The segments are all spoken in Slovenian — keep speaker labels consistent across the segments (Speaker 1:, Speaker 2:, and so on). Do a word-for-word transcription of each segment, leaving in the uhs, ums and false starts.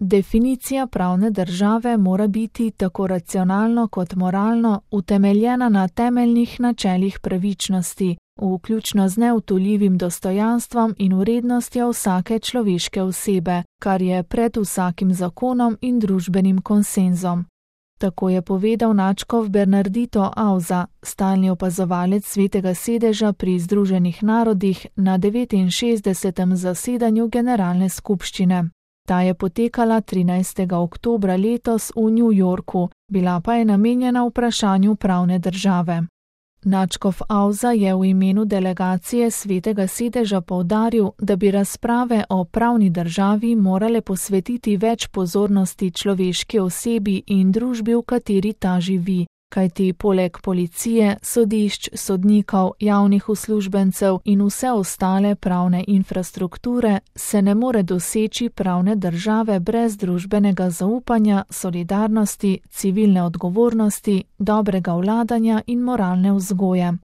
Speaker 1: Definicija pravne države mora biti tako racionalno kot moralno utemeljena na temeljnih načelih pravičnosti, vključno z neodtujljivim dostojanstvom in vrednostjo vsake človeške osebe, kar je pred vsakim zakonom in družbenim konsenzom. Tako je povedal nadškof Bernardito Auza, stalni opazovalec Svetega sedeža pri Združenih narodih na devetinšestdesetem zasedanju Generalne skupščine. Ta je potekala trinajstega oktobra letos v New Yorku, bila pa je namenjena vprašanju pravne države. Nadškof Auza je v imenu delegacije Svetega sedeža poudaril, da bi razprave o pravni državi morale posvetiti več pozornosti človeški osebi in družbi, v kateri ta živi, kajti poleg policije, sodišč, sodnikov, javnih uslužbencev in vse ostale pravne infrastrukture se ne more doseči pravne države brez družbenega zaupanja, solidarnosti, civilne odgovornosti, dobrega vladanja in moralne vzgoje.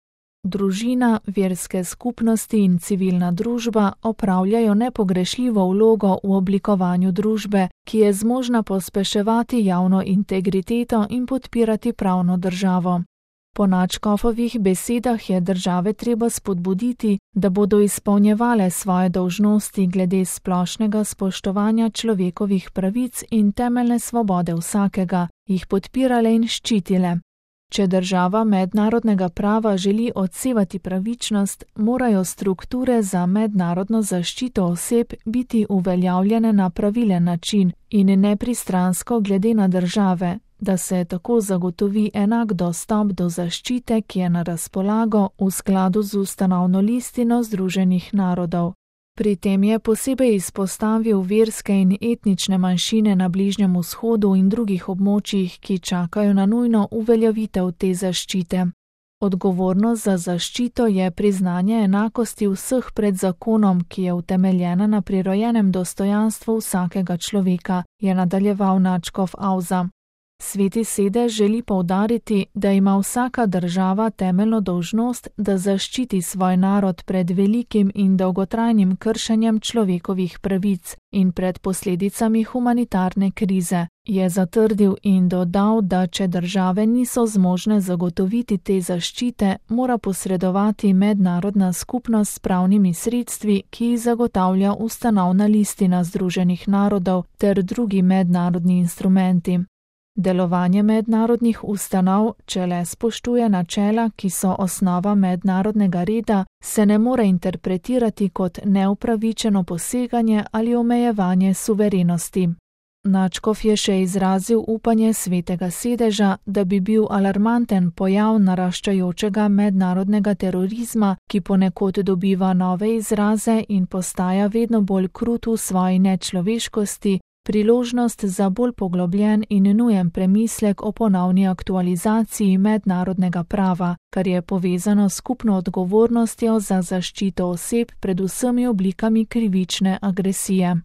Speaker 1: Družina, verske skupnosti in civilna družba opravljajo nepogrešljivo vlogo v oblikovanju družbe, ki je zmožna pospeševati javno integriteto in podpirati pravno državo. Po nadškofovih besedah je države treba spodbuditi, da bodo izpolnjevale svoje dolžnosti glede splošnega spoštovanja človekovih pravic in temeljne svobode vsakega, jih podpirale in ščitile. Če država mednarodnega prava želi odsevati pravičnost, morajo strukture za mednarodno zaščito oseb biti uveljavljene na pravilen način in nepristransko glede na države, da se tako zagotovi enak dostop do zaščite, ki je na razpolago v skladu z ustanovno listino Združenih narodov. Pri tem je posebej izpostavil verske in etnične manjšine na Bližnjem vzhodu in drugih območjih, ki čakajo na nujno uveljavitev te zaščite. Odgovornost za zaščito je priznanje enakosti vseh pred zakonom, ki je utemeljena na prirojenem dostojanstvu vsakega človeka, je nadaljeval nadškof Auza. Sveti sedež želi poudariti, da ima vsaka država temeljno dolžnost, da zaščiti svoj narod pred velikim in dolgotrajnim kršenjem človekovih pravic in pred posledicami humanitarne krize, je zatrdil in dodal, da če države niso zmožne zagotoviti te zaščite, mora posredovati mednarodna skupnost s pravnimi sredstvi, ki jih zagotavlja ustanovna listina Združenih narodov ter drugi mednarodni instrumenti. Delovanje mednarodnih ustanov, če le spoštuje načela, ki so osnova mednarodnega reda, se ne more interpretirati kot neupravičeno poseganje ali omejevanje suverenosti. Nadškof je še izrazil upanje Svetega sedeža, da bi bil alarmanten pojav naraščajočega mednarodnega terorizma, ki ponekod dobiva nove izraze in postaja vedno bolj krut v svoji nečloveškosti, priložnost za bolj poglobljen in nujen premislek o ponovni aktualizaciji mednarodnega prava, kar je povezano s skupno odgovornostjo za zaščito oseb pred vsemi oblikami krivične agresije.